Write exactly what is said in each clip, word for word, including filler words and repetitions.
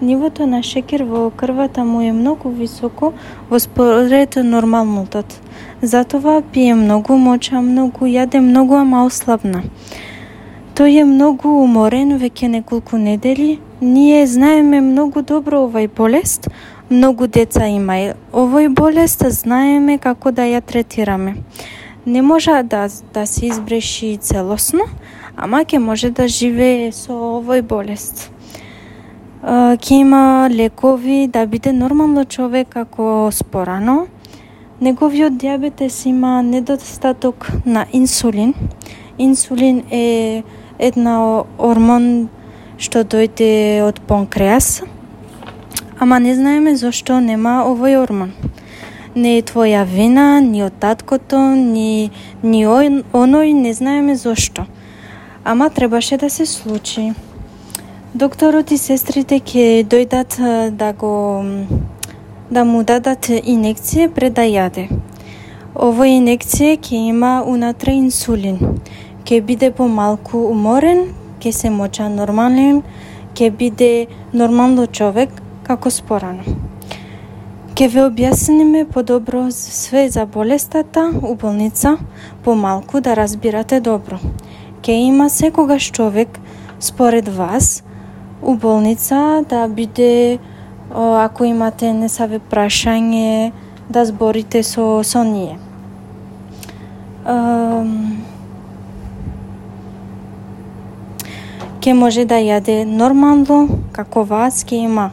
Нивото на шекер во крвата му е многу високо во според нормалното. Затоа пие многу, моча многу, јаде многу, ама ослабна. Тој е многу уморен веќе неколку недели. Ние знаеме многу добро овај болест. Многу деца има овој болест, знаеме како да ја третираме. Не може да, да се избреши целосно, ама ќе може да живее со овој болест. Ќе има лекови да биде нормално човек како спорано. Неговиот дијабетес има недостаток на инсулин. Инсулин е една ормон што дојде од панкреас, ама не знаеме зошто нема овој ормон. Не е твоја вина, ни од таткото, ни, ни оној, не знаеме зошто. Ама требаше да се случи. Докторот и сестрите ќе дојдат да го да му дадат инекција пред да јаде. Овој инекција ќе има унатре инсулин. Ќе биде помалку уморен, ќе се моча нормален, ќе биде нормално човек како спорано. Ќе ве објасниме подобро све за болестата у болница, помалку да разбирате добро. Ќе има секогаш човек според вас у болница да биде, ако имате несаве прашање, да зборите со, со ние. Ќе може да јаде нормално, како вас, ќе има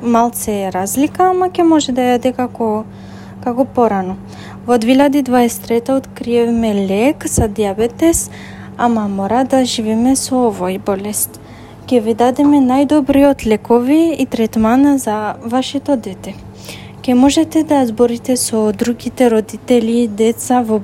малце разлика, ама ќе може да јаде како, како порано. Во две илјади дваесет и трета откриевме лек за дијабетес, ама мора да живееме со овој болест. Ќе ви дадеме најдобриот лекови и третман за вашето дете. Ќе можете да зборите со другите родители, деца во